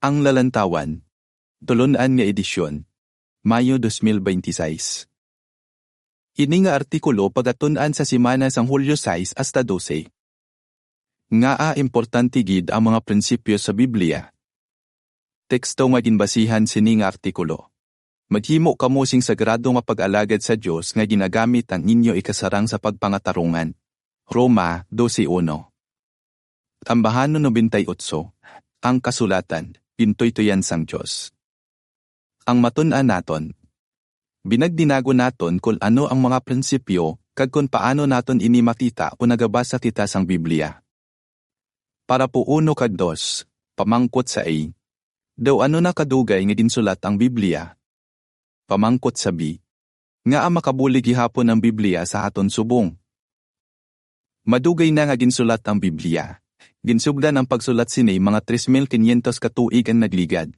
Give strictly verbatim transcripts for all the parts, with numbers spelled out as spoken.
Ang Lalantawan, Tulon-an nga Edisyon, Mayo dos mil bente seis. Ini nga artikulo pagatun-an sa semana sang Hulyo sais hasta dose. Ngaa importante gid ang mga prinsipyo sa Biblia? Teksto nga ginbasihan sini nga artikulo. Maghimo kamo sing sagrado nga pag-alagad sa Dios nga ginagamit ang inyo ikasarang sa pagpangatarungan. Roma dose uno. Tambahanon nobenta y otso, ang kasulatan, gintuytoyan sang Dios. Ang matun-an naton. Binagdinagon naton kon ano ang mga prinsipyo kag kon paano naton ini makita kon nagabasa kita sang Biblia. Parapo uno kag dos, pamangkot sa A. Daw ano na kadugay nga ginsulat ang Biblia? Pamangkot sa B. Ngaa makabulig gihapon ang Biblia sa aton subong? Madugay na nga ginsulat ang Biblia. Ginsugdan ang pagsulat sini mga tres mil kinyentos ka tuig ang nagligad,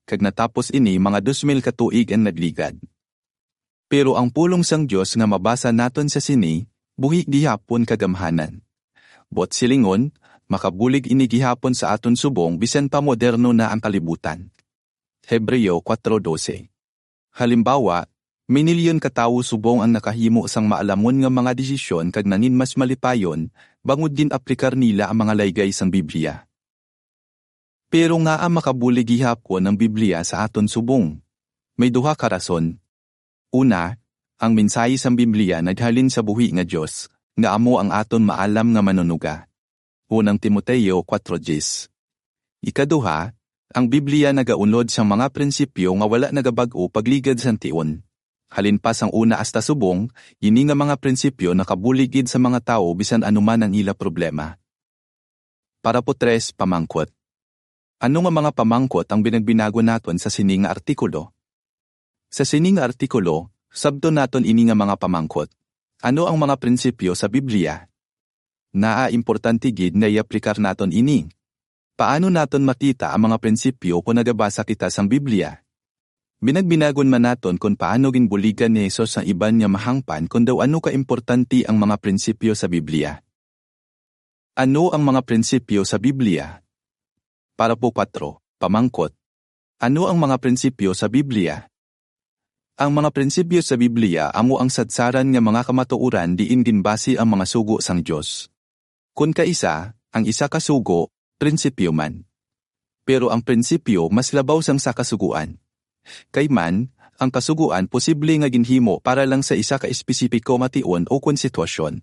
kag natapos ini mga dos mil ka tuig ang nagligad. Pero ang pulong sang Dios nga mabasa naton sa sini, buhi gihapon kag gamhanan. Buot silingon, makabulig ini gihapon sa aton subong bisan pa moderno na ang kalibutan. Hebreo kuwatro dose. Halimbawa, minilyon ka tawo subong ang nakahimo sang maalamon nga mga desisyon kag nangin mas malipayon bangod gin-aplikar nila ang mga laygay sang Biblia. Pero ngaa makabulig gihapon ang Biblia sa aton subong? May duha ka rason. Una, ang mensahe sang Biblia naghalin sa buhi nga Dios, nga amo ang aton maalam nga Manunuga. Unang Timoteo kuwatro diyes. Ikaduha, ang Biblia nagaunod sang mga prinsipyo nga wala nagabag-o pagligad sang tion. Halin pa sang una hasta subong, ini nga mga prinsipyo nakabulig gid sa mga tawo bisan ano man ang ila problema. Parapo tres, pamangkot. Ano nga mga pamangkot ang binagbinagon naton sa sini nga artikulo? Sa sini nga artikulo, sabton naton ini nga mga pamangkot. Ano ang mga prinsipyo sa Biblia? Ngaa importante gid nga i-aplikar naton ini? Paano naton makita ang mga prinsipyo kon nagabasa kita sang Biblia? Binagbinagon man naton kon paano ginbuligan ni Jesus ang iban nga mahangpan kon daw ano ka importante ang mga prinsipyo sa Biblia. Ano ang mga prinsipyo sa Biblia? Parapo kuwatro, pamangkot. Ano ang mga prinsipyo sa Biblia? Ang mga prinsipyo sa Biblia amo ang sadsaran nga mga kamatuoran diin ginbase ang mga sugo sang Dios. Kon kaisa, ang isa ka sugo, prinsipyo man. Pero ang prinsipyo mas labaw sang sa kasugoan. Kay man, ang kasugoan posible nga ginhimo para lang sa isa ka espesipiko nga tion o kon sitwasyon.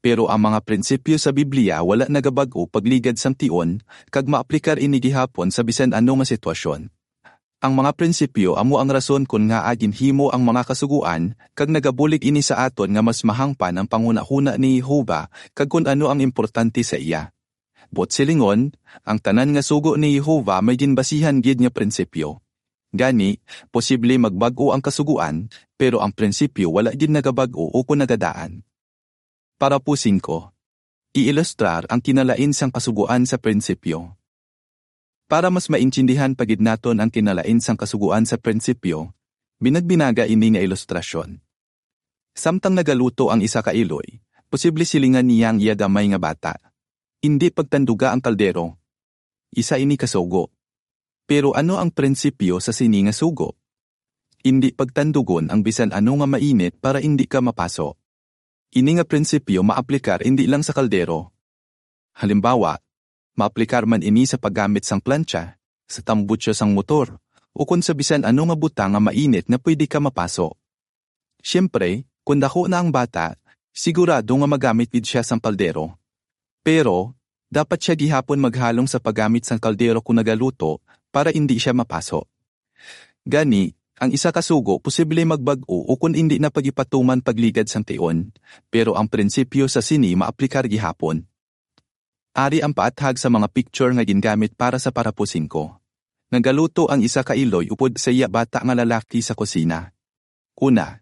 Pero ang mga prinsipyo sa Biblia wala nagabag-o pagligad sang tion, kag maaplikar ini gihapon sa bisan ano nga sitwasyon. Ang mga prinsipyo amo ang rason kon ngaa ginhimo ang mga kasugoan, kag nagabulig ini sa aton nga mas mahangpan ang panghunahuna ni Jehovah kag kon ano ang importante sa iya. Buot silingon, ang tanan nga sugo ni Jehovah may ginbasihan gid nga prinsipyo. Gani, posible magbag-o ang kasugoan, pero ang prinsipyo wala gid nagabag-o ukon nagadaan. Parapo singko. Iilustrar ang kinalain sang kasugoan sa prinsipyo. Para mas maintindihan pa gid naton ang kinalain sang kasugoan sa prinsipyo, binagbinaga ini nga ilustrasyon. Samtang nagaluto ang isa ka iloy, posible silingan niya ang iya gamay nga bata, "Indi pagtanduga ang kaldero." Isa ini ka sugo. Pero ano ang prinsipyo sa sini nga sugo? Indi pagtandugon ang bisan ano nga mainit para indi ka mapaso. Ini nga prinsipyo maaplikar indi lang sa kaldero. Halimbawa, maaplikar man ini sa paggamit sang plantsa, sa tambutso sang motor, ukon sa bisan ano nga butang nga mainit nga pwede ka mapaso. Siyempre, kon daku na ang bata, sigurado nga magamit gid sia sang kaldero. Pero, dapat sia gihapon maghalong sa paggamit sang kaldero kon nagaluto para indi sia mapaso. Gani, ang isa ka sugo posible magbag-o ukon indi na pagipatuman pagligad sang tion, pero ang prinsipyo sa sini maaplikar gihapon. Ari ang paathag sa mga picture nga gingamit para sa parapo singko. Nagaluto ang isa ka iloy upod sa iya bata nga lalaki sa kusina. Una,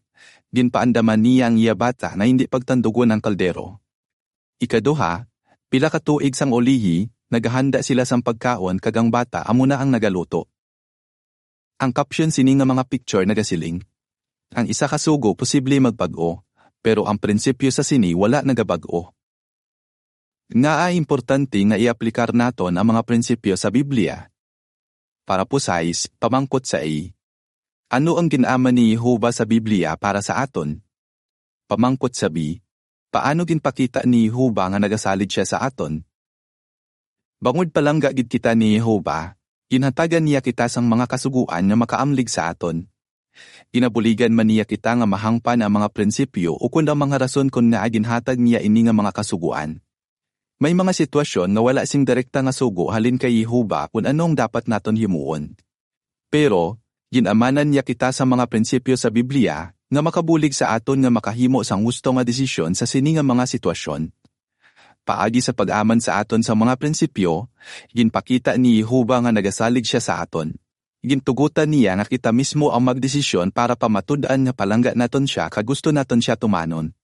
ginpaandaman niya ang iya bata nga indi pagtandugon ang kaldero. Ikaduha, pila ka tuig sang ulihi, nagahanda sila sang pagkaon kag ang bata amo na ang nagaluto. Ang caption sini nga mga picture nagasiling, "Ang isa ka sugo posible magbag-o, pero ang prinsipyo sa sini wala nagabag-o." Ngaa importante nga i-aplikar naton ang mga prinsipyo sa Biblia? Parapo sais, pamangkot sa A. Ano ang gin-aman ni Jehovah sa Biblia para sa aton? Pamangkot sa B, paano ginpakita ni Jehovah nga nagasalig sia sa aton? Bangod palangga gid kita ni Jehovah, ginhatagan niya kita sang mga kasugoan nga makaamlig sa aton. Ginabuligan man niya kita nga mahangpan ang mga prinsipyo ukon ang mga rason kon ngaa ginhatag niya ini nga mga kasugoan. May mga sitwasyon nga wala sing direkta nga sugo halin kay Jehovah kon ano ang dapat naton himuon. Pero, gin-amanan niya kita sa mga prinsipyo sa Biblia nga makabulig sa aton nga makahimo sang husto nga desisyon sa sini nga mga sitwasyon. Paagi sa pag-aman sa aton sa mga prinsipyo, ginpakita ni Jehovah nga nagasalig sia sa aton. Gintugotan niya nga kita mismo ang magdesisyon para pamatud-an nga palangga naton sia kag gusto naton sia tumanon.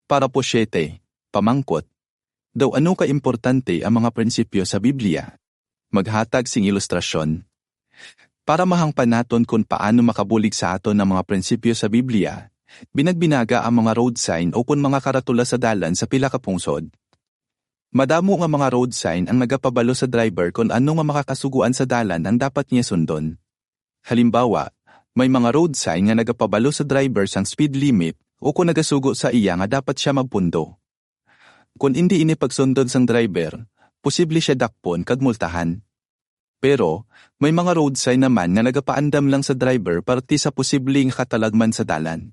Parapo siete, pamangkot, daw ano ka importante ang mga prinsipyo sa Biblia? Maghatag sing ilustrasyon. Para mahangpan naton kon paano makabulig sa aton ang mga prinsipyo sa Biblia, binagbinaga ang mga road sign o kon mga karatula sa dalan sa pila ka pungsod. Madamo nga mga road sign ang nagapabalo sa driver kon ano nga makakasugoan sa dalan ang dapat niya sundon. Halimbawa, may mga road sign nga nagapabalo sa driver sang speed limit o kon nagasugo sa iya nga dapat sia magpundo. Kon indi ini pagsundon sang driver, posible sia dakpon kag multahan. Pero, may mga road sign naman nga nagapaandam lang sa driver parte sa posible nga katalagman sa dalan.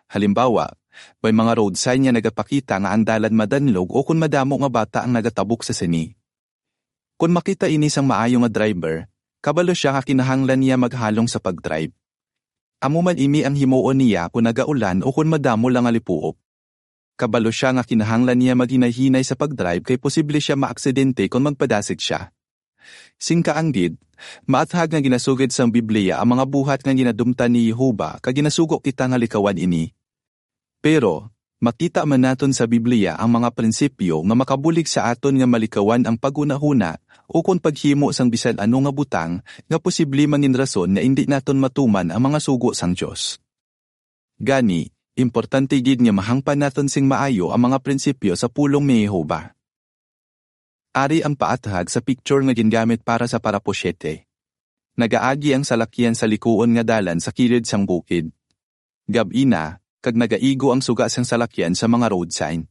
Halimbawa, may mga road sign nga nagapakita nga ang dalan madanlog o kon madamo nga bata ang nagatabok sa sini. Kon makita ini sang maayo nga driver, kabalo sia nga kinahanglan niya maghalong sa pag-drive. Amo man ini ang himuon niya kon nagaulan o kon madamo lang nga lipuop. Kabalo sia nga kinahanglan niya maghinay-hinay sa pag-drive kay posible sia maaksidente kon magpadasig sia. Sing kaanggid, maathag nga ginasugid sang Biblia ang mga buhat nga ginadumtan ni Jehovah kag ginasugo kita nga likawan ini. Pero, makita man naton sa Biblia ang mga prinsipyo nga makabulig sa aton nga malikawan ang paghunahuna o kon paghimo sang bisan ano nga butang nga posible mangin rason nga indi naton matuman ang mga sugo sang Dios. Gani, importante gid nga mahangpan naton sing maayo ang mga prinsipyo sa pulong ni Jehovah. Ari ang paathag sa picture nga gingamit para sa parapo siete. Nagaagi ang salakyan sa likuon nga dalan sa kilid sang bukid. Gab-i na, kag nagaigo ang suga sang salakyan sa mga road sign.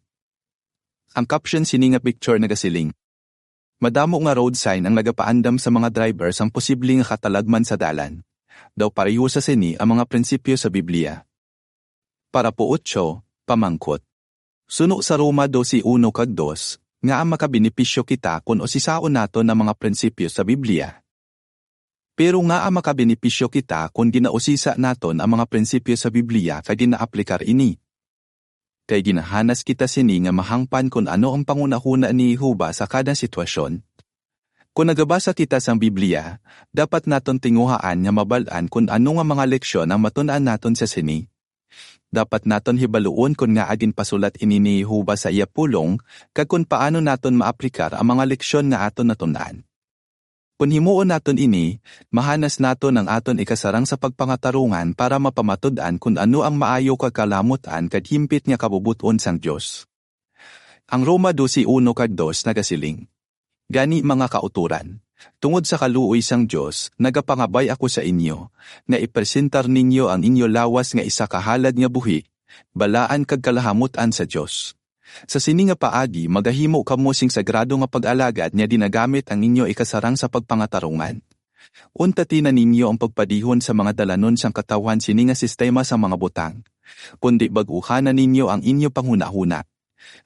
Ang caption sini nga picture nagasiling, madamo nga road sign ang nagapaandam sa mga driver sang posible nga katalagman sa dalan. Daw pareho sa sini ang mga prinsipyo sa Biblia. Parapo otso, pamangkot. Suno sa Roma dose uno kag dos, ngaa makabenepisyo kita kon usisaon naton ang mga prinsipyo sa Biblia? Pero ngaa makabenepisyo kita kon ginausisa naton ang mga prinsipyo sa Biblia kag ginaaplikar ini? Kay ginahanas kita sini nga mahangpan kon ano ang panghunahuna ni Jehovah sa kada sitwasyon. Kon nagabasa kita sang Biblia, dapat naton tinguhaan nga mabal-an kon ano nga mga leksyon ang matun-an naton sa sini. Dapat naton hibaluon kon ngaa ginpasulat ini ni Jehovah sa iya pulong, kag kon paano naton maaplikar ang mga leksyon nga aton natun-an. Kon himuon naton ini, mahanas naton ang aton ikasarang sa pagpangatarungan para mapamatud-an kon ano ang maayo kag kalamut-an kag himpit nga kabubot-on sang Dios. Ang Roma dose uno kag dos nagasiling, gani, mga kautoran, tungod sa kaluoy sang Dios, nagapangabay ako sa inyo, nga ipresentar ninyo ang inyo lawas nga isa ka halad nga buhi, balaan kag kalahamut-an sa Dios. Sa sini nga paagi magahimo kamo sing sagrado nga pag-alagad nga ginagamit ang inyo ikasarang sa pagpangatarungan. Untati na ninyo ang pagpadihon sa mga dalanon sang katawhan sini nga sistema sang mga butang, kundi bag-uhan na ninyo ang inyo panghunahuna,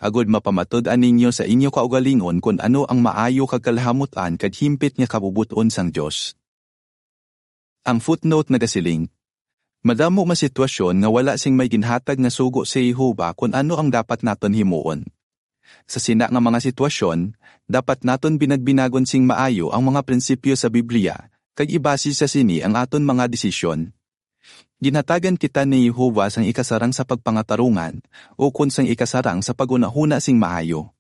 agod mapamatud-an ninyo sa inyo kaugalingon kon ano ang maayo kag kalahamut-an kag himpit nga kabubot-on sang Dios. Ang footnote nagasiling, madamo nga sitwasyon nga wala sing may ginhatag nga sugo si Jehovah kon ano ang dapat naton himuon. Sa sina nga mga sitwasyon, dapat naton binagbinagon sing maayo ang mga prinsipyo sa Biblia, kag ibase sa sini ang aton mga desisyon. Ginhatagan kita ni Jehovah sang ikasarang sa pagpangatarungan, ukon sang ikasarang sa paghunahuna sing maayo.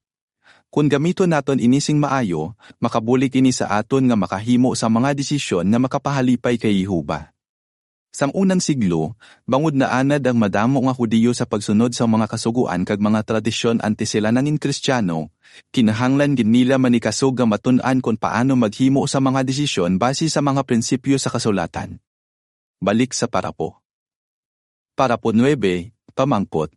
Kon gamiton naton ini sing maayo, makabulig ini sa aton nga makahimo sa mga desisyon nga makapahalipay kay Jehovah. Sang unang siglo, bangod naanad ang madamo nga Hudiyo sa pagsunod sa mga kasugoan kag mga tradisyon antes sila nangin Kristiyano, kinahanglan gid nila manikasog nga matun-an kon paano maghimo sa mga desisyon base sa mga prinsipyo sa kasulatan. Balik sa parapo. Parapo nuebe, pamangkot.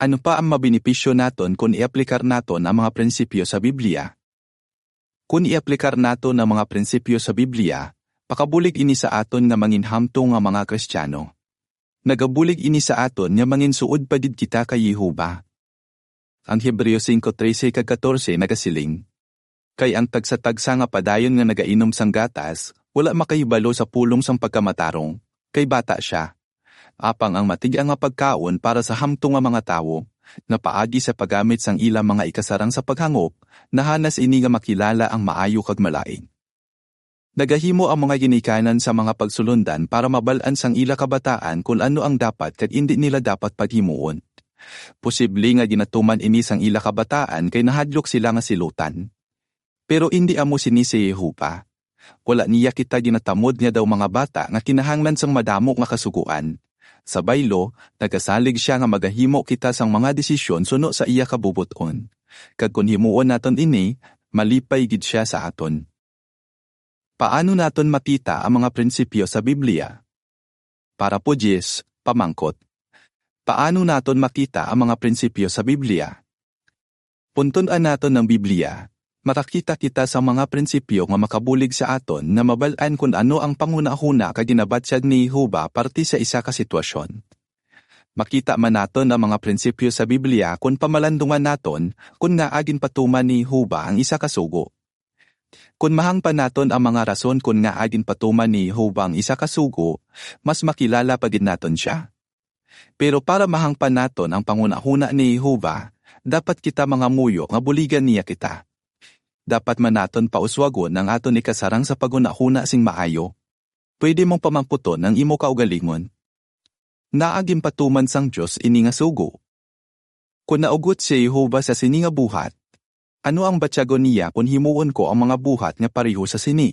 Ano pa ang mabenepisyo naton kon iaplikar naton ang mga prinsipyo sa Biblia? Kon iaplikar naton ang mga prinsipyo sa Biblia, pakabulig ini sa aton nga manginhamtong nga mga Kristiyano. Nagabulig ini sa aton nga manginsuod pa gid kita kay Jehovah. Ang Hebreo singko trese kag katorse nagasiling, "Kay ang tagsa-tagsa nga padayon nga nagainom sang gatas, wala makahibalo sa pulong sang pagkamatarong, kay bata sia. Apang ang matig-a nga pagkaon para sa hamtong nga mga tawo, nga paagi sa paggamit sang ila mga ikasarang sa paghangop, nahanas ini nga makilala ang maayo kag malain." Nagahimo ang mga ginikanan sa mga pagsulondan para mabal-an sang ila kabataan kon ano ang dapat kag indi nila dapat paghimuon. Posible nga ginatuman ini sang ila kabataan kay nahadlok sila nga silutan. Pero indi amo sini si Jehovah. Wala niya kita ginatamod nga daw mga bata nga kinahanglan sang madamo nga kasugoan. Sa baylo, nagasalig sia nga magahimo kita sang mga desisyon suno sa iya kabubot-on. Kag kon himuon naton ini, malipay gid sia sa aton. Paano naton makita ang mga prinsipyo sa Biblia? Parapo diyes, pamangkot. Paano naton makita ang mga prinsipyo sa Biblia? Kon tun-an naton ang Biblia, makakita kita sa mga prinsipyo nga makabulig sa aton nga mabal-an kon ano ang panghunahuna kag ginabatyag ni Jehovah parte sa isa ka sitwasyon. Makita man naton ang mga prinsipyo sa Biblia kon pamalandungan naton kon ngaa ginpatuman ni Jehovah ang isa ka sugo. Kon mahangpan naton ang mga rason kon ngaa ginpatuman ni Jehovah ang isa ka sugo, mas makilala pa gid naton sia. Pero para mahangpan naton ang panghunahuna ni Jehovah, dapat kita mangamuyo nga buligan niya kita. Dapat man naton pauswagon ang aton ikasarang sa paghunahuna sing maayo. Pwede mong pamangkuton ang imo kaugalingon, "Ngaa ginpatuman sang Dios ini nga sugo?" Kon naugot si Jehovah sa sini nga buhat, ano ang batyagon niya kon himuon ko ang mga buhat nga pareho sa sini?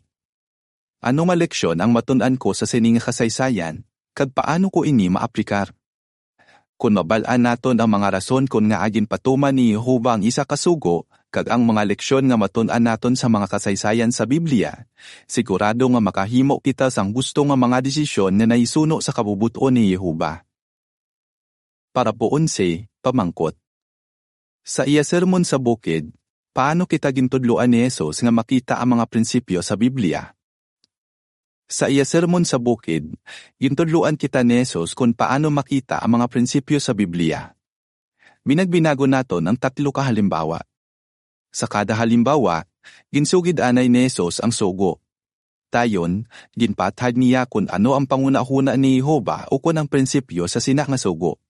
Ano nga leksyon ang matun-an ko sa sini nga kasaysayan, kag paano ko ini maaplikar? Kon mabal-an naton ang mga rason kon ngaa ginpatuman ni Jehovah ang isa ka sugo, kag ang mga leksyon nga matun-an naton sa mga kasaysayan sa Biblia, sigurado nga makahimo kita sang husto nga mga desisyon nga nahisuno sa kabubot-on ni Jehovah. Parapo onse, pamangkot. Sa iya Sermon sa Bukid, paano kita gintudloan ni Jesus nga makita ang mga prinsipyo sa Biblia? Sa iya Sermon sa Bukid, gintudloan kita ni Jesus kon paano makita ang mga prinsipyo sa Biblia. Binagbinagon naton ang tatlo ka halimbawa. Sa kada halimbawa, ginsugid anay ni Jesus ang sugo. Dayon, ginpaathag niya kon ano ang panghunahuna ni Jehovah ukon ang prinsipyo sa sina nga sugo.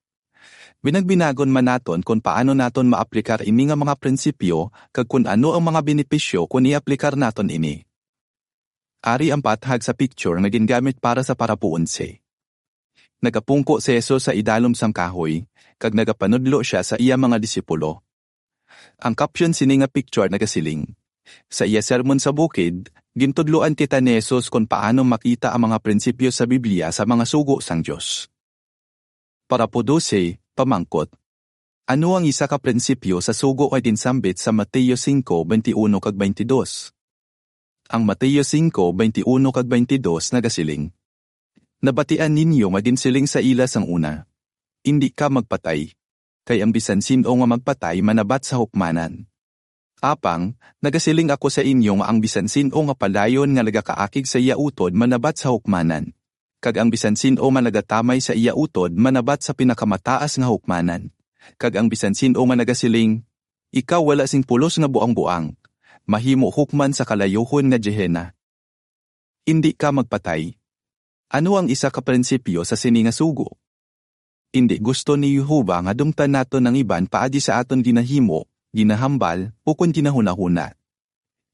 Binagbinagon man naton kon paano naton maaplikar ini nga mga prinsipyo kag kon ano ang mga benepisyo kon iaplikar naton ini. Ari ang paathag sa picture nga gingamit para sa parapo onse. Nagapungko si Jesus sa idalom sang kahoy, kag nagapanudlo sia sa iya mga disipulo. Ang caption sini nga picture nagasiling, "Sa iya Sermon sa Bukid, gintudloan kita ni Jesus kon paano makita ang mga prinsipyo sa Biblia sa mga sugo sang Dios." Parapo dose, pamangkot. Ano ang isa ka prinsipyo sa sugo nga ginsambit sa Mateo singko, bente uno kag bente dos? Ang Mateo singko, bente uno kag bente dos nagasiling, "Nabatian ninyo nga ginsiling sa ila sang una, 'Indi ka magpatay,' kay ang bisan sin-o nga magpatay manabat sa hukmanan. Apang, nagasiling ako sa inyo nga ang bisan sin-o nga padayon nga nagakaakig sa iya utod manabat sa hukmanan, kag ang bisan sin-o nga nagatamay sa iya utod manabat sa pinakamataas nga hukmanan, kag ang bisan sin-o nga nagasiling, 'Ikaw wala sing pulos nga buangboang,' mahimo hukman sa kalayuhon nga Gehenna." Indi ka magpatay. Ano ang isa ka prinsipyo sa sini nga sugo? Indi gusto ni Jehovah nga dumtan naton ang iban paagi sa aton ginahimo, ginahambal, ukon ginahunahuna.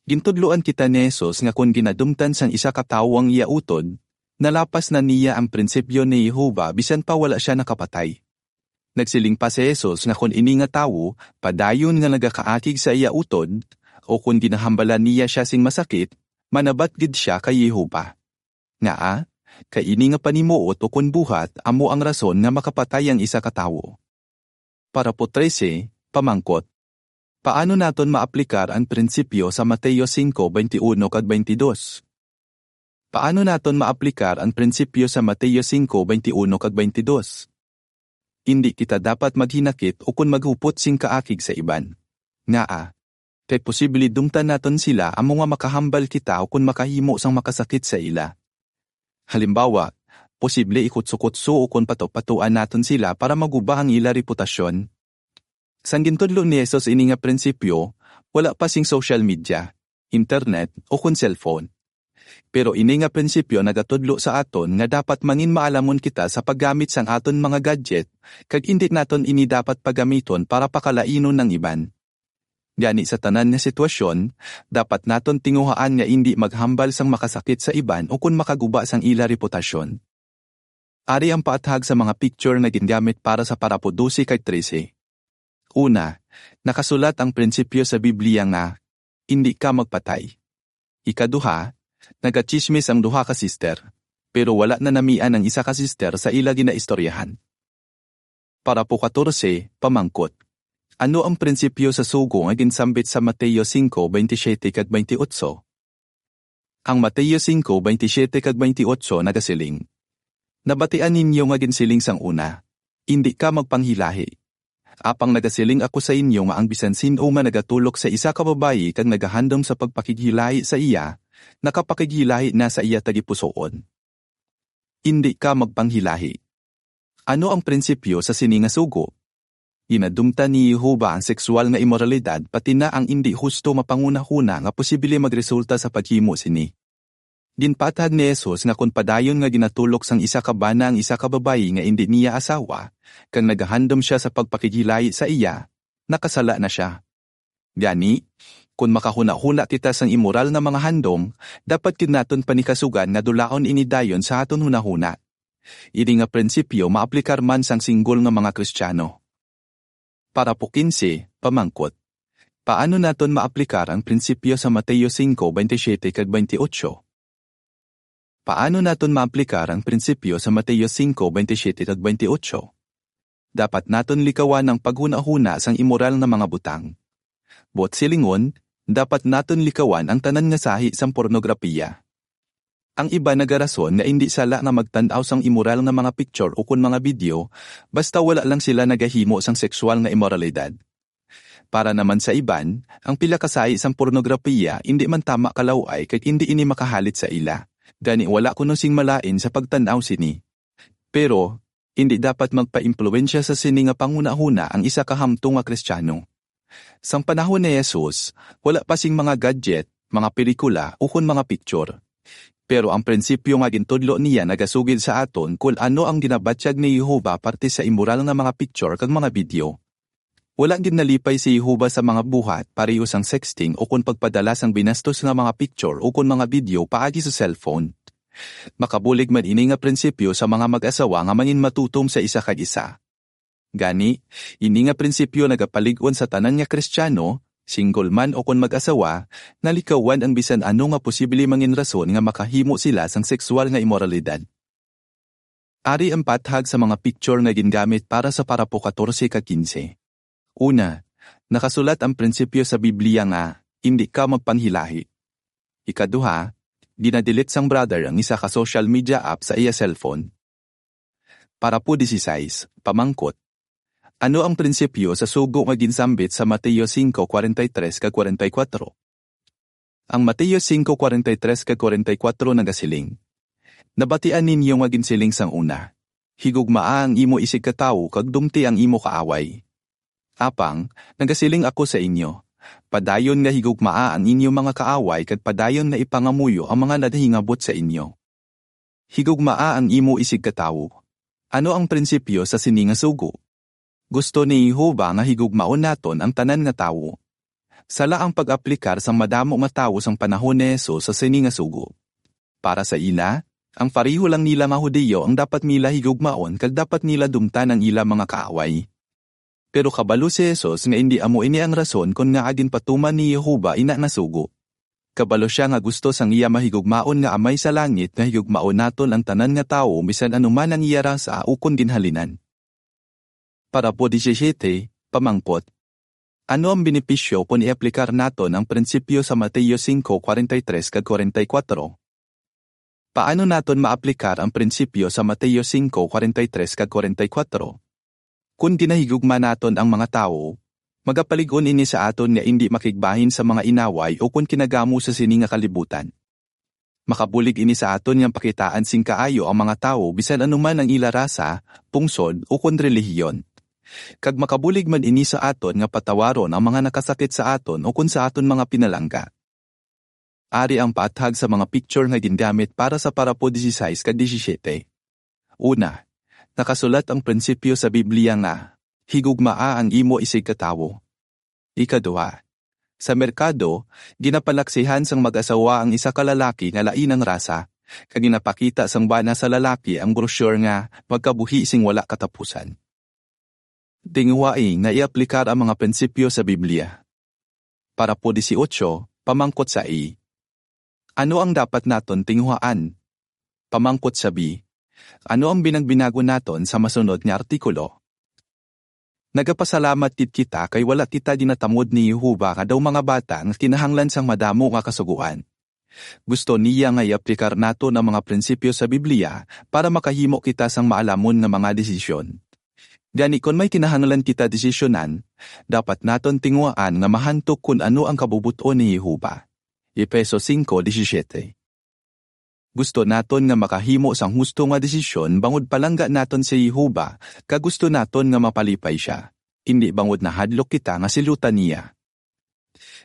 Gintudloan kita ni Jesus nga kon ginadumtan sang isa ka tawo ang iya utod, nalapas na niya ang prinsipyo ni Jehovah bisan pa wala sia nakapatay. Nagsiling pa si Jesus nga kon ini nga tawo padayon nga nagakaakig sa iya utod, o kon ginahambalan niya sia sing masakit, manabat gid sia kay Jehovah. Ngaa? Kay ini nga panimuot ukon buhat amo ang rason nga makapatay ang isa ka tawo. Parapo trese, pamangkot. Paano naton maaplikar ang prinsipyo sa Mateo singko, baynte uno kag baynte dos? Paano naton maaplikar ang prinsipyo sa Mateo singko, baynte uno kag baynte dos? Indi kita dapat maghinakit ukon maghupot sing kaakig sa iban. Ngaa? Kay posible dumtan naton sila amo nga makahambal kita ukon makahimo sang makasakit sa ila. Halimbawa, posible ikutsukutso ukon patupatuan naton sila para maguba ang ila reputasyon. Sang gintudlo ni Jesus ini nga prinsipyo, wala pa sing social media, internet, ukon cellphone. Pero ini nga prinsipyo nagatudlo sa aton nga dapat mangin maalamon kita sa paggamit sang aton mga gadget, kag indi naton ini dapat pagamiton para pakalainon ang iban. Gani, sa tanan nga sitwasyon, dapat naton tinguhaan nga indi maghambal sang makasakit sa iban ukon makaguba sang ila reputasyon. Ari ang paathag sa mga picture nga gingamit para sa parapo dose kag trese. Una, nakasulat ang prinsipyo sa Biblia nga, "Indi ka magpatay." Ikaduha, nagatsismis ang duha ka sister, pero wala na namian ang isa ka sister sa ila ginaistoryahan. Parapo katorse, pamangkot. Ano ang prinsipyo sa sugo nga ginsambit sa Mateo singko, baynte siyete kag baynte otso? Ang Mateo singko, baynte siyete kag baynte otso nagasiling, "Nabatian ninyo nga ginsiling sang una, 'Indi ka magpanghilahi.' Apang nagasiling ako sa inyo nga ang bisan sin-o nga nagatulok sa isa ka babayi kag nagahandom sa pagpakighilahi sa iya, nakapakighilahi na sa iya tagipusoon." Indi ka magpanghilahi. Ano ang prinsipyo sa sini nga sugo? Ginadumtan ni Jehovah ang sexual nga imoralidad, pati na ang indi husto nga panghunahuna nga posible magresulta sa paghimo sini. Ginpaathag ni Jesus nga kon padayon nga ginatulok sang isa ka bana ang isa ka babayi nga indi niya asawa, kag nagahandom sia sa pagpakighilahi sa iya, nakasala na sia. Gani, kon makahunahuna kita sang imoral nga mga handom, dapat gid naton panikasugan nga dulaon ini dayon sa aton hunahuna. Ini nga prinsipyo maaplikar man sang single nga mga Kristiyano. Parapo kinse, pamangkot. Paano naton maaplikar ang prinsipyo sa Mateo singko, baynte siyete kag baynte otso? Paano naton maaplikar ang prinsipyo sa Mateo singko, baynte siyete kag baynte otso? Dapat naton likawan ang paghunahuna sang imoral nga mga butang. Buot silingon, dapat naton likawan ang tanan nga sahi sang pornograpiya. Ang iban nagarason nga indi sala nga magtan-aw sang imoral nga mga picture ukon mga video, basta wala lang sila nagahimo sang sexual nga imoralidad. Para naman sa iban, ang pila ka sahi sang pornograpiya indi man tama kalaw-ay kag indi ini makahalit sa ila. Gani, wala kuno sing malain sa pagtan-aw sini. Pero, indi dapat magpaimpluwensya sa sini nga panghunahuna ang isa ka hamtong nga Kristiyano. Sang panahon ni Jesus, wala pa sing mga gadget, mga pelikula, ukon mga picture. Pero ang prinsipyo nga gintudlo niya nagasugid sa aton kon ano ang ginabatyag ni Jehovah parte sa imoral nga mga picture kag mga video. Wala gid nalipay si Jehovah sa mga buhat pareho sang sexting ukon pagpadala sang binastos nga mga picture ukon mga video paagi sa cellphone. Makabulig man ini nga prinsipyo sa mga mag-asawa nga manginmatutom sa isa kag isa. Gani, ini nga prinsipyo nagapalig-on sa tanan nga Kristiyano, single man ukon mag-asawa, nga likawan ang bisan ano nga posible manginrason nga makahimo sila sang sexual nga imoralidad. Ari ang paathag sa mga picture nga gingamit para sa parapo katorse kag kinse. Una, nakasulat ang prinsipyo sa Biblia nga, "Indi ka magpanghilahi." Ikaduha, ginadelete sang brother ang isa ka social media app sa iya cellphone. Parapo dieciséis, pamangkot. Ano ang prinsipyo sa sugo nga ginsambit sa Mateo singko, kwarenta y tres kag kwarenta y kuwatro? Ang Mateo singko, kwarenta y tres kag kwarenta y kuwatro nagasiling, "Nabatian ninyo nga ginsiling sang una, 'Higugmaa ang imo isigkatawo kag dumti ang imo kaaway.' Apang, nagasiling ako sa inyo, padayon nga higugmaa ang inyo mga kaaway kag padayon nga ipangamuyo ang mga nagahingabot sa inyo." Higugmaa ang imo isigkatawo. Ano ang prinsipyo sa sini nga sugo? Gusto ni Jehovah nga higugmaon naton ang tanan nga tawo. Sala ang pag-aplikar sang madamo nga tawo sang panahon ni Jesus sa sini nga sugo. Para sa ila, ang pareho lang nila nga Hudiyo ang dapat nila higugmaon kag dapat nila dumtan ang ila mga kaaway. Pero kabalo si Jesus nga indi amo ini ang rason kon ngaa ginpatuman ni Jehovah ina nga sugo. Kabalo sia nga gusto sang iya mahigugmaon nga Amay sa langit nga higugmaon naton ang tanan nga tawo, bisan ano man ang iya rasa ukon ginhalinan. Parapo disisiete, pamangkot: Ano ang benepisyo kon i-aplikar naton ang prinsipyo sa Mateo singko, kwarenta y tres kag kwarenta y kuwatro? Paano naton maaplikar ang prinsipyo sa Mateo singko, kwarenta y tres kag kwarenta y kuwatro? Kon ginahigugma naton ang mga tawo, magapalig-on ini sa aton nga indi makigbahin sa mga inaway o kon kinagamo sa sini nga kalibutan. Makabulig ini sa aton nga pakitaan sing kaayo ang mga tawo, bisan ano man ang ila rasa, pungsod, o kon relihiyon. Kag makabulig man ini sa aton nga patawaron ang mga nakasakit sa aton o kon sa aton mga pinalangga. Ari ang paathag sa mga picture nga gingamit para sa parapo disisais kag disisiete. Una, nakasulat ang prinsipyo sa Biblia nga, "Higugmaa ang imo isigkatawo." Ikaduha, sa merkado, ginapalaksihan sang mag-asawa ang isa ka lalaki nga lain ang rasa, kag ginapakita sang bana sa lalaki ang brochure nga Magkabuhi sing Wala Katapusan. Tinguhai nga i-aplikar ang mga prinsipyo sa Biblia. Parapo dieciocho, pamangkot sa A: Ano ang dapat naton tinguhaan? Pamangkot sa B: Ano ang binagbinagon naton sa masunod nga artikulo? Nagapasalamat gid kita kay wala kita ginatamod ni Jehovah nga daw mga bata nga kinahanglan sang madamo nga kasugoan. Gusto niya nga i-aplikar naton ang mga prinsipyo sa Biblia para makahimo kita sang maalamon nga mga desisyon. Gani, kon may kinahanglan kita desisyonan, dapat naton tinguhaan nga mahantok kon ano ang kabubot-on ni Jehovah. Efeso singko disisiete. Gusto naton nga makahimo sang husto nga desisyon bangod palangga naton si Jehovah, kag gusto naton nga mapalipay sia, indi bangod nahadlok kita nga silutan niya.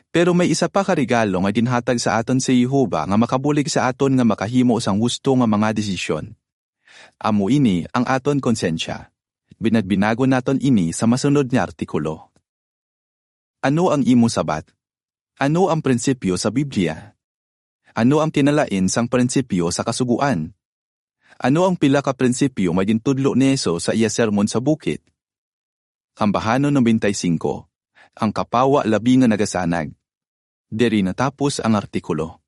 Pero may isa pa ka regalo nga ginhatag sa aton si Jehovah nga makabulig sa aton nga makahimo sang husto nga mga desisyon. Amo ini ang aton konsensya. Binagbinagon naton ini sa masunod nga artikulo. Ano ang imo sabat? Ano ang prinsipyo sa Biblia? Ano ang kinalain sang prinsipyo sa Kasugoan? Ano ang pila ka prinsipyo nga gintudlo ni Jesus sa iya Sermon sa Bukid? Ambahanon noventa y cinco, ang kapawa labi nga nagasanag. Diri natapos ang artikulo.